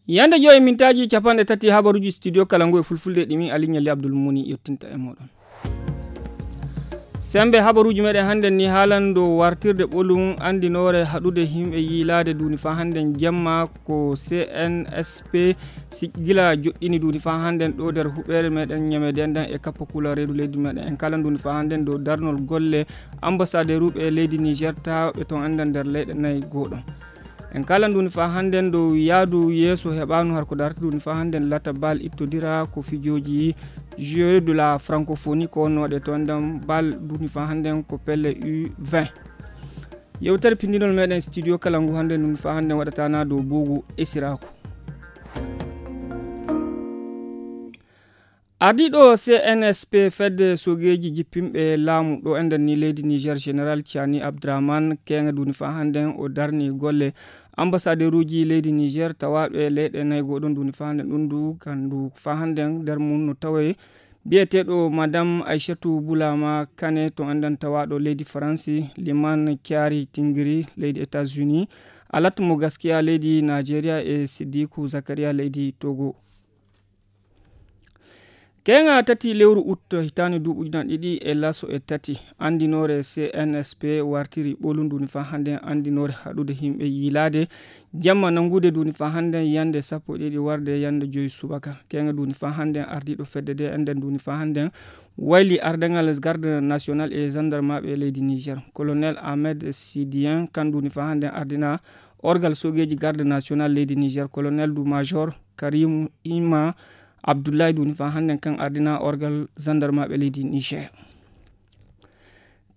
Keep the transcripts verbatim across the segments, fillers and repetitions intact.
Yande joyi mintaaji capanɗe tati habaruuji studio kala ngu e fulfulde ɗi min Aliou Ɲalli Abdoul Muni yottinta e mooɗon. Sembe habaruuji meɗen hannden ni haalan dow wartirde ɓolum anndinoore haɗude himɓe yiilaade duuni faa hannden jamma ko C N S P si-, gila joɗɗini duuni faa hannden ɗo nder huɓeere meɗen ñamede nden e kappo kula reedu leydi meɗen. En kalan duuni faa hannden dow darnol golle ambassaderuɓe leydi Niger tawɓe ton anndan nder leyɗe nayi goɗon. En kalan duuni faa hannden dow yaadu yeeso heɓaanu har ko darata duuni faa hannden lata bal ittodira ko fijooji Jeux de la Francophonie ko wonno waɗe to anndan bal duuni faa hannden ko pelle U vingt. Yewtere pindinol meɗen studio kala ngu hannden duuni faa hannden waɗatana dow buugu esiraaku. Ardiiɗo C N S P fedde sogeeji jippinɓe laamu ɗo enden ni leydi Niger Général Tiani Abdraman keŋa duuni faa hannden o darni golle ambassaderuuji leydi Niger tawaaɗo e leyɗe nayi goɗon duuni faa hannden ɗum du gandu faa hannden nder mum no tawe biyeteeɗo Madame Aissatou Boulama Kane to enden tawaaɗo leydi Faransi, Liman Kiari Tingiri leydi États-Unis, Alat mo Gaskiya leydi Nigeria e Sidiku Zakaria leydi Togo. Keŋa tati lewru ut hitaande duuɓi ujunaaji ɗiɗi e laso e tati, anndinoore C N S P wartiri ɓolum duuni faa hannden anndinoore haɗude himɓe yiilaade jamma nanngude duuni faa hannden yannde sappo e ɗiɗi warde yannde joyi subaka. Keŋa duuni faa hannden ardiiɗo fedde de enden duuni faa hannden wayli ardaŋal garde national e gendarmeɓe leydi Niger. Colonel Ahmed Sidien kan duuni faa hannden ardina orgal sogeeji garde national leydi Niger. Colonel du major Karim Ima Abdoulaye duuni faa hannden kan ardina orgal gendarmeɓe leydi Niger.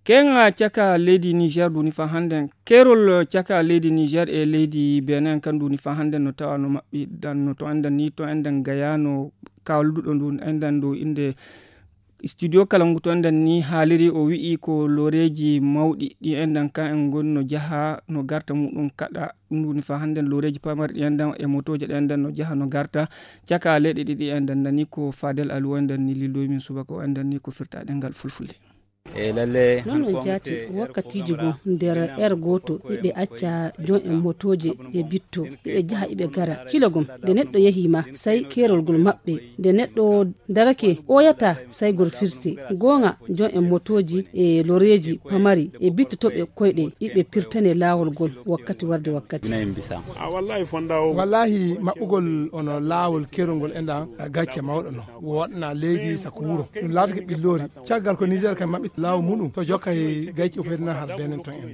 Keŋa caka leydi Niger duuni faa hannden, kerol caka leydi Niger e leydi Benin kan duuni faa hannden no tawa no maɓɓi dan no to enden ni to enden gaya no kawluɗo ndu enden dow innde studio kala ngu to enden ni haaliri o wi'i ko loreeji mawɗi ɗi enden kan en ngoni no jaha no garta muɗum kaɗa ɗum duuni faa hannden loreeji pamari ɗi enden e motooje ɗe enden no jaha no garta caka leyɗe ɗiɗi enden nani ko Fadel Aliou enden ni lilloyi min subaka o enden ni ko firta ɗengal fulfulde. E lalle non on jaati wakkatiiji goo nder er gooto iɓe acca jon en motooje e bitto iɓe jaha iɓe gara kila gom nde neɗɗo yahii ma say keerol ngol maɓɓe nde neɗɗo darake ɓooyataa say ngol firti. Gooŋa jon en motooji e loreeji pamari e bitto to ɓe koyɗe iɓe pirtane laawol ngol wakkati warde wakkati. Wallaahi maɓɓugol ono laawol keerol ngol enɗan gacce mawɗo no woɗna leydi sako wuro ɗum laatake ɓilloori. Caggal ko Niger kam maɓɓi laawo muɗum to jokka e gayci o fedina har benen ton en.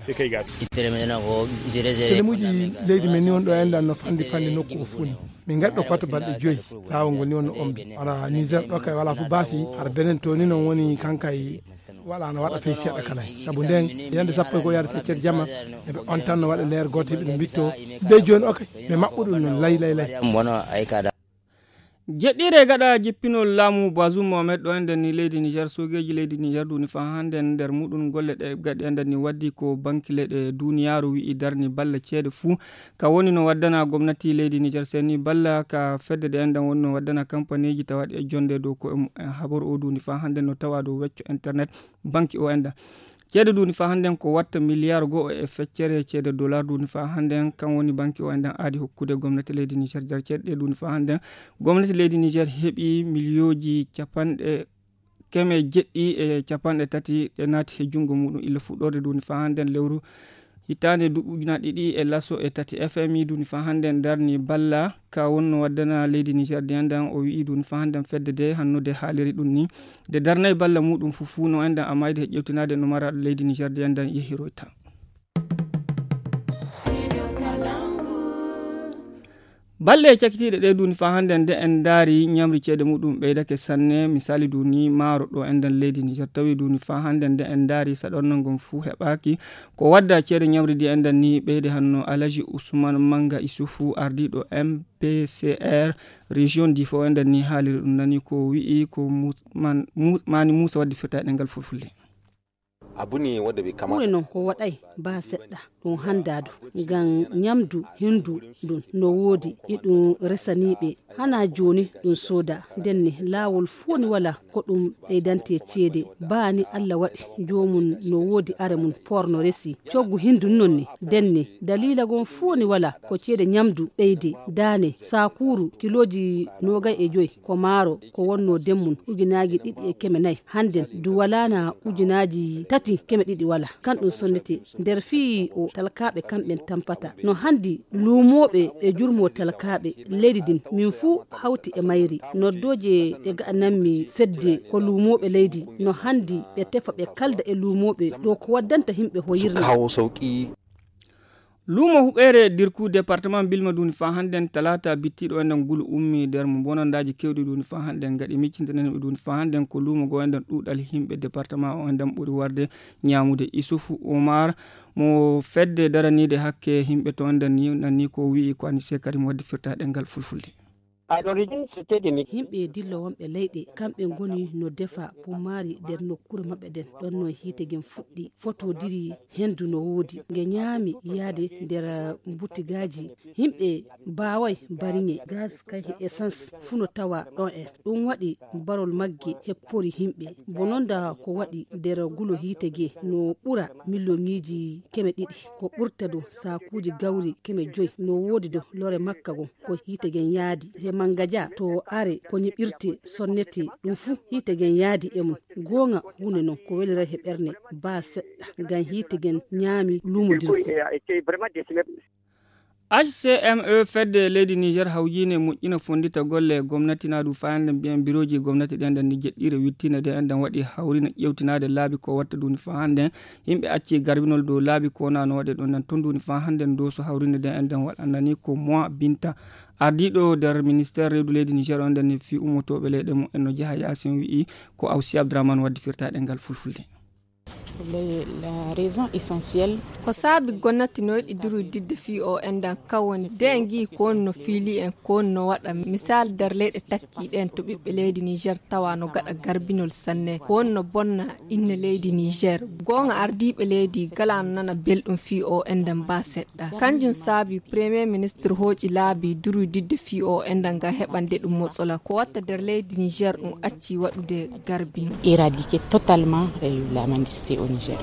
Telemuji leydi men ni won ɗo enɗan no fandi fandi nokku o funi. Min ngaɗi ɗo kotta balɗe joyi laawol ngol ni wonno ombi wala Niger ɗo kay wala fof baasi har benen to ni non woni kankay wala no waɗa fey seeɗa kala sabu nden yande sappo e goo yaade feccere jamma eɓe on tan no waɗa leer gooto ɓe mbitto dey jooni o kay ɓe maɓɓuɗum non lay lay lay. Jeɗɗiire gaɗa jippinol laamu Bazoum Mohamed ɗo enden ni leydi Niger sogeeji leydi Niger duuni faa hannden nder muɗum golle ɗe gaɗi enden ni waddi ko banki leyɗe duniyaaru wi'i darni balla ceede fuu ka woni no waddana gomnati leydi Niger seni balla ka fedde ɗe enden woni no waddana kampaniiji tawaɗi e jonde dow ko e mumen habaru o duuni faa hannden no tawa dow wecco internet banki o enden. Ceede duuni faa hannden ko watta miliyaar go'o e feccere ceede dollar duuni faa hannden kan woni banki o enɗan aadi hokkude gomnati leydi Niger jar ceede ɗe duuni faa hannden gomnati leydi Niger heɓi miliyooji capanɗe keme jeɗɗi e capanɗe tati ɗe naati he junngo muɗum illa fuɗɗorde duuni faa hannden lewru hitaande duuɓi ujunaaji ɗiɗi e laso e tati F M I duuni faa hannden darni balla ka wonno waddana leydi Niger de enɗan o wi'i duuni faa hannden fedde de hannude haaliri ɗum ni de darnay balla muɗum fuu fuu no enɗan amayde he ƴewtinaade no mara leydi Niger de enɗan yehiroyta. Balɗe cakitiiɗe ɗe duuni faa hannden de en ndaari ñamri ceede muɗum ɓeydake sanne misali duuni maaro ɗo enɗan leydi Niger tawi duuni faa hannden de en ndaari saɗornal ngon fuu heɓaaki ko wadda ceede ñamri di enɗan ni ɓeyde hanno Alaji Usman Manga Isufu ardiiɗo M P C R région Difo enɗan ni haaliri ɗum nani ko wi'i ko Mu- Man- Mu- Mani Musa waddi firta e ɗengal fulfulde. Abu ne wanda bai kamata. Hure noon ko waɗay baa seɗɗa. Ɗum hanndaadu ngam ñamdu henndu ndun no woodi e ɗum resaniiɓe. Hanaa jooni ɗum sooda. Ndenne laawol fooni wala ko ɗum ɓeydante ceede. Baa ni Alla waɗi joomum no woodi are mum porno resi coggu henndu noon ni. Ndenne daliila gon fooni wala ko ceede ñamdu ɓeyde. Daane saakuuru kilooji noogay e joy ko maaro ko wonnoo demmum ujunaaji ɗiɗi e keme nayi. Hannden du walaana ujunaaji tati keme ɗiɗi wala. Kan ɗum sonnete nder fii o talkaaɓe kamɓen tampata no hanndi luumooɓe e jurmoo talkaaɓe leydi ndin min fuu hawti e mayri. Noddooje ɗe gaɗanammi fedde ko luumooɓe leydi no hanndi ɓe tefa ɓe kalda e luumooɓe ɗo ko waddanta yimɓe hoyirna. Kawo sauki. Luumo huɓeere dirku département bilma duuni faa hannden talaata bittiiɗo enden gulu ummi nder mo bonandaaji kewɗi duuni faa hannden gaɗi miccintanen ɓe duuni faa hannden ko luumo goo enden ɗuuɗal yimɓe département o enden ɓuri warde. Ñaamude Isufu Umar mo fedde daraniide hakke yimɓe to enden ni nanni ko wi'i ko Anise Karim waddi firta ɗengal fulfulde. Yimɓe dillo wonɓe leyɗe kamɓe ngoni no defa pummaari nder nokkuure maɓɓe ɗen. Ɗon no hiite gen fuɗɗi fotodiri henndu no woodi nge ñaami yaade nder butigaaji. Yimɓe baaway bariŋe gaz kay essence fuu no tawa ɗon en. Ɗum waɗi barol magge heppori yimɓe. Bononda ko waɗi nder gulo hiite ge no ɓura miliyoŋiiji keme ɗiɗi. Ko ɓurta do saakuuji gawri keme joy no woodi do lore makka gon. Ko hiite gen yaadi he mangaja to are ko ñiɓirte sonnete ɗum fuu hiite gen yaadi e mum. Gooŋa huunde non ko welira he ɓerne baa seɗɗa ngam hiite gen ñaami luumodirgo. H C M E fedde leydi Niger hawjiine moƴƴina fonndita golle gomnati na du fayande mbiyen birooji gomnati ɗen ɗen ni jeɗɗiire wittine ɗen ɗen waɗi hawrina ƴewtinaade laabi ko watta duuni faa hannden. Yimɓe acci garbinol dow laabi ko wonaa no waɗe ɗon ɗen ton duuni faa hannden dow so hawrinde ɗen ɗen waɗanani ko mois binta ardiiɗo nder ministère reedu leydi Niger on ɗen ni fii ummotooɓe leyɗe mum en no jeha yaasin wi'i ko Awsi Abdrahmane waddi firtaaɗe ngal fulfulde. Ko saabi gonnati no yiɗi durwididde fii o endan kawoni de en ngi'i ko woni no fiili en ko woni no waɗa misal nder leyɗe takki ɗen to ɓiɓɓe leydi Niger tawa no gaɗa garbinol sanne ko woni no bonna inne leydi Niger. Goonga ardiiɓe leydi gala no nana belɗum fii o endan ba seɗɗa. Kanjum saabi premier ministre hooƴi laabi durwididde fii o endan ngam heɓande ɗum motsola ko watta nder leydi Niger ɗum acci waɗude garbinol. Éradiquer totalement la mendicité au Niger.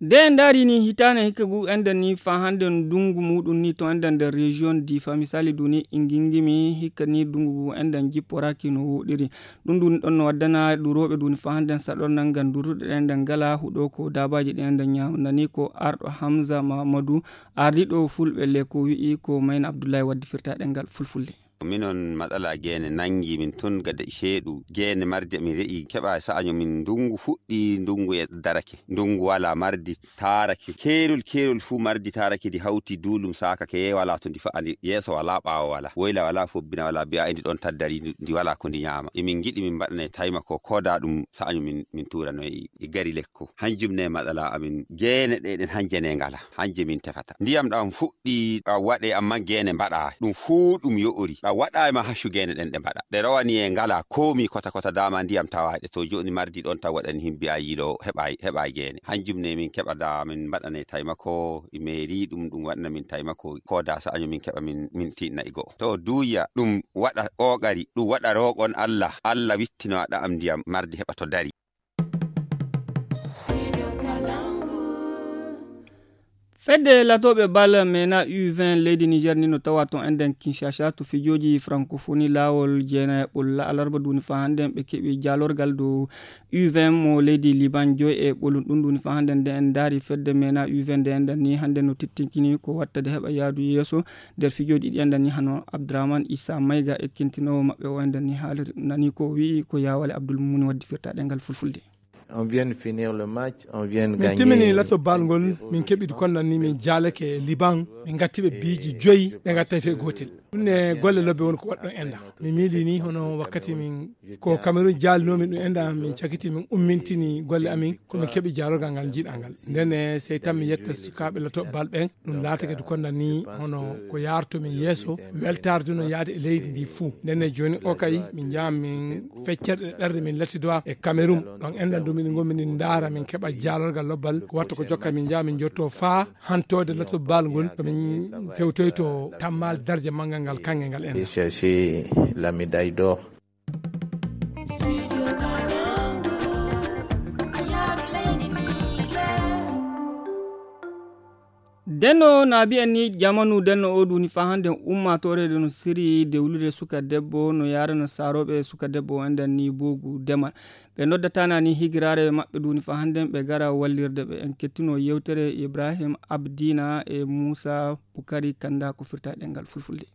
Nde en ndaari ni hitaande hikka ngu enɗen ni faa hannde ndungu muuɗum ni to enɗen nder région Difa misali duni ingingimi hikka ni ndungu ngu enɗen jipporaaki no woɗiri. Ɗum duni ɗon no waddana durooɓe duni faa hannde saɗornal ngal durruɗe ɗen ɗen ngala huɗo ko daabaaji ɗen ɗen ñaamnani ko arɗo Hamza Mamadou ardiiɗo fulɓe le ko wi'i ko Mayna Abdullahi waddi firtaaɗe ngal fulfulde. Minon matsala gene nangi min tun gada sheeɗu gene mardi min re'i keɓa sa'año min ndungu fuɗɗi ndungu e darake ndungu wala mardi tarake kerol kerol fu mardi tarake ndi hawti dulum sakake wala to ndi fa'ani yeeso wala ɓaawo wala woyla wala fobbina wala bi'a e ndi ɗon taddari ndi wala ko ndi ñaama e min ngiɗi min mbaɗane taymako koda ɗum sa'año min min turano e gari lekko hanjum ne matsala amin gene ɗe ɗen hanje ne ngala hanje min tefata ndiyam ɗam fuɗɗi ɗam waɗe amma gene mbaɗa ɗum fuu ɗum yo'ori ɗam waɗa e ma haccu gene ɗen ɗe mbaɗa ɗe rowani e ngala komi kota kota dama ndiyam tawaɗe to joni mardi ɗon taw waɗani himbi a yilo heɓa heɓa gene hanjum ne min keɓa da min mbaɗane taymako e mairie ɗum ɗum waɗana min taymako koda sa'año min keɓa min min tinna e go'o to duya ɗum waɗa ƙoƙari ɗum waɗa roƙon Allah Allah wittino ɗam ndiyam mardi heɓa to dari. Fedde latooɓe bal mena u vingt leydi Niger ni no tawa ton enɗen Kinshasa to fijooji francophonie laawol jeenayaɓol alarba duni faa hannden ɓe keɓi jaalorgal dow u vingt mo leydi Liban joy e ɓolum ɗum duni faa hannden nde en ndaari fedde mena u vingt nde enɗen ni hannden no tittinkini ko wattade heɓa yaadu yeeso nder fijooji ɗi enɗen ni hano Abdourahmane Issa Mayga ekkintinoowo maɓɓe o enɗen ni haaliri nani ko wi'i ko Yawale Abdoul Mumuni waddi firtaaɗe ngal fulfulde. On vient de finir le match, on vient de min gagner. Timmini lato bal ngol min keɓi konnan ni min jaalake Liban min gatti ɓe biiji joyi ɓe gattay fe gotel ɗum ne golle lobbe won ko waɗɗon enɗan mi miili ni hono wakkati min ko Cameroun jaalinomin ɗum enɗan min cakiti min ummintini golle amin ko min keɓi jaalorgal ngal jiiɗal ngal nden sey tan mi yetta sukaaɓe lato bal ɓen ɗum laata kadi konnan ni hono ko yarto min yeeso weltarde no yaade e leydi ndi fuu nden jooni o kay min jaa min feccere ɗe ɓerde min latidowa e Cameroun ɗon enɗan ɗum Min ngon min ndaara, min keɓa jaalorgal lobbal, ko watta ko jokka min njaha min jotto faa hantoode lato baal ngol, ko min tewtoyto tammaal darje manngal ngal, kannge ngal en. Chercher la médaille d'or. Denno na mbiyen ni, jamanu denno o duni fa hannde, ummaatoore no siri dewlude suka debbo, no yaarana saarooɓe suka debbo o, enden ni boogu demal. Ɓe noddatana ni higiraare maɓɓe duni fa hannde, ɓe gara wallirde ɓe. En kettino yewtere Ibrahim Abdina e Muusa Bukari Kanda ko firta ɗengal fulfulde.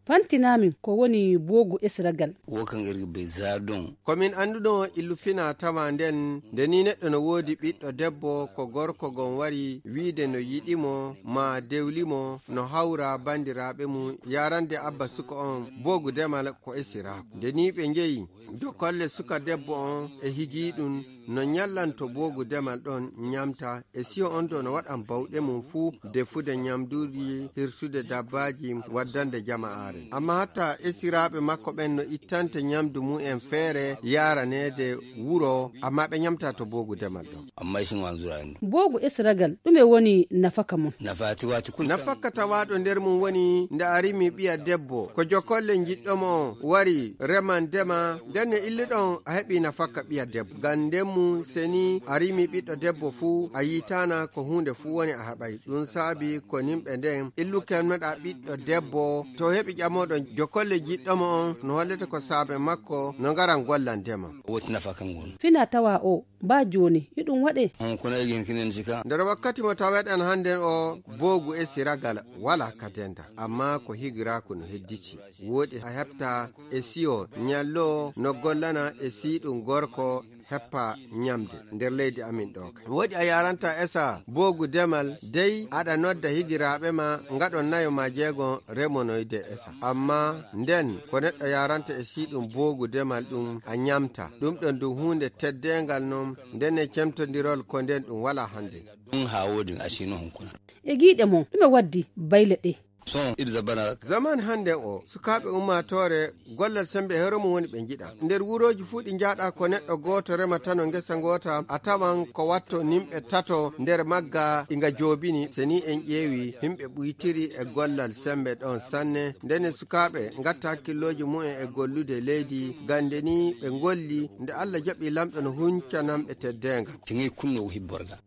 Fantinaa min ko woni boogu esiragal. Wo kaŋ iri be zaadon. Ko min annduno illu fina tawa nden, nde ni neɗɗo no woodi ɓiɗɗo debbo, ko gorko gon wari wiide no yiɗi mo, maa dewli mo, no hawra banndiraaɓe mum, yaarande abba suka on boogu demal ko esiraaku. Nde ni ɓe njeyi dokolle suka debbo on e higii ɗum, no ñallanto boogu demal ɗon ñamta, e siyo on do no waɗan bawɗe mum fuu defude ñamduuji, hirsude dabbaaji, waddande jama'aare. Amma hatta esiraaɓe makko ɓen no ittante ñamdu mum en feere yaaraneede wuro, amma ɓe ñamta to boogu demal ɗon. Amma isin wanzura en. Boogu esiragal, ɗume woni nafaka mum? Nafaati waati kun. Nafaka tawaaɗo nder mum woni nde a rimi ɓiya debbo, ko jokolle njiɗɗo mo wari reman dema, nden no illuɗon a heɓi nafaka ɓiya debbo. Ngam nden mum seni a rimi ɓiɗɗo debbo fuu, a yiitaana ko huunde fuu woni a heɓay. Ɗum saabi ko nimɓe nden illukennoɗaa ɓiɗɗo debbo, to heɓi ƴamooɗo jokolle jiɗɗo mo on, no hollete ko saabe makko no ngaran gollan dema. Woti nafa kan ngon. Fina tawa o, ba jooni, hiɗum waɗe? On kuna igin kinen sika. Nder wakkati mo taweɗen hannden o, boogu e siragal wala ka denda, amma ko higiraaku no hedditi. Wooɗi a heɓta e siyo ñallo no gollana e siiɗum gorko heppa ñamde nder leydi amin ɗo ka. Wooɗi a yaranta esa boogu demal, dey aɗa nodda higiraaɓe ma ngaɗon nayo ma jeegon remonoyde esa. Amma nden ko neɗɗo yaranta e siiɗum boogu demal ɗum a ñamta. Ɗum ɗon ɗum huunde teddeengal non, nden e cemtondirol ko nden ɗum wala hannde. Ɗum haa woodi asino hunkuna. E giiɗe mon, ɗume waddi bayle ɗe? Son, iri zabana. Zaman hannde o, sukaaɓe ummaatoore, gollal sembe e hoore mum woni ɓe njiɗa. Nder wurooji fuu ɗi njaaɗa ko neɗɗo gooto rematano ngesa ngoota, a tawan ko watto nimɓe tato nder magga ɗi nga joobini. Se ni en ƴeewi, himɓe ɓuytiri e gollal sembe ɗon sanne. Ndene sukaaɓe ngatta hakkillooji mumen e gollude leydi, gande ni ɓe ngolli, nde Allah jaɓi lamɗo no huncanan ɓe teddeenga. Tigi kunno hibborga.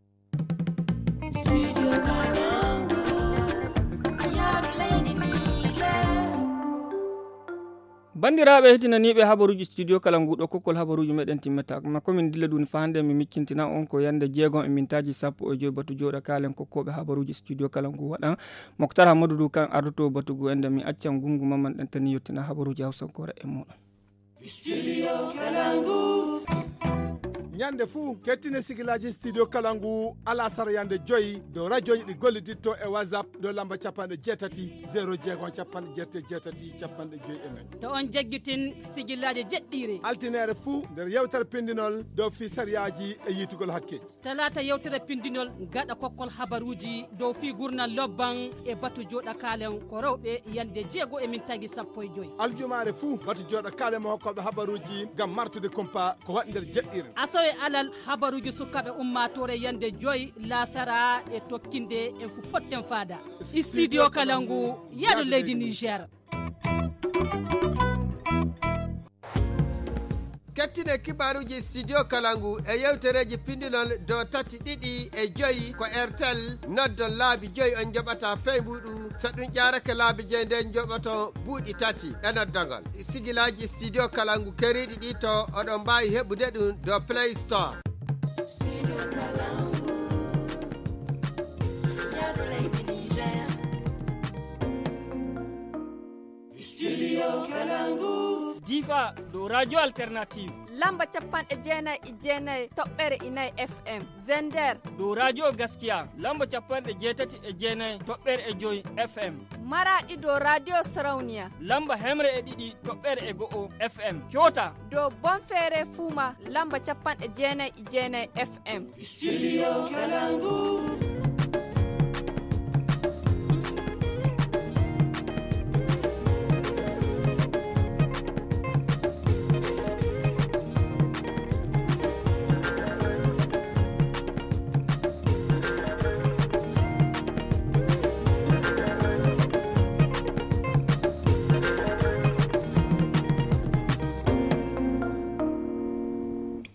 Banndiraaɓe heɗinaniiɓe habaruuji studio kala nguuɗo kokkol habaruuji meɗen timmata. Ma komin dilla ɗum fa hannde mi miccintina on ko yannde jeegom e mintaaji sappo e joy batu jooɗa kaalen kokkooɓe habaruuji studio kala ngu waɗan. Moktar Hamadu du kan ardoto batu ngu ende mi accan gungu mamman ɗan tani yettina habaruuji hawsankoore e muɗum. Studio Kalangu. Ñande fuu, kettine sigilaaji Studio Kalangu alasara yande joyi dow radiooji ɗi golliditto e WhatsApp dow lamba capanɗe jeetati, zéro jeegom, capanɗe jeetati, capanɗe joyi e nayi. To on jaggitin sigilaaji jeɗɗiire. Altineere fuu nder yewtere pindinol dow fii sariyaaji e yiitugol hakkeeji. Talaata yewtere pindinol gaɗa kokkol habaruuji dow fii gurnal lobban e batu jooɗa kaalen ko rewɓe yande jeego e mintaaji sappo e joy. Aljumaare fuu, batu jooɗa kaalen mo hokkooɓe habaruuji ngam martude kumpa ko waɗi nder jeɗɗiire. Asawe alal, habaruuji sukaaɓe ummaatoore yande joy laasara e tokkinde en fu potten faada. Studio Kalangu, yaadu leydi Niger. Kettine kibaaruuji Studio Kalangu e yewtereeji pindinol dow tati ɗiɗi e joyi ko Airtel. Noddon laabi joyi on njoɓata fey mbuuɗu. So ɗum ƴaarake laabi joyi nden njoɓoton buuɗi tati e noddagol. Sigilaaji Studio Kalangu keriiɗi ɗi to oɗon mbaawi heɓude ɗum dow Play Store. Studio Kalangu. Difa dow Radio Alternative. Lamba capanɗe jeenayi e jeenayi toɓɓere e nayi F M. Zender. Dow Radio Gaskiya. Lamba capanɗe jeetati e jeenayi toɓɓere e joyi F M. Maraɗi dow Radio Sarauniya. Lamba hemre e ɗiɗi toɓɓere e go'o F M. Kyota. Dow Bonfere Fuma. Lamba capanɗe jeenayi e jeenayi F M. Studio Kalangu.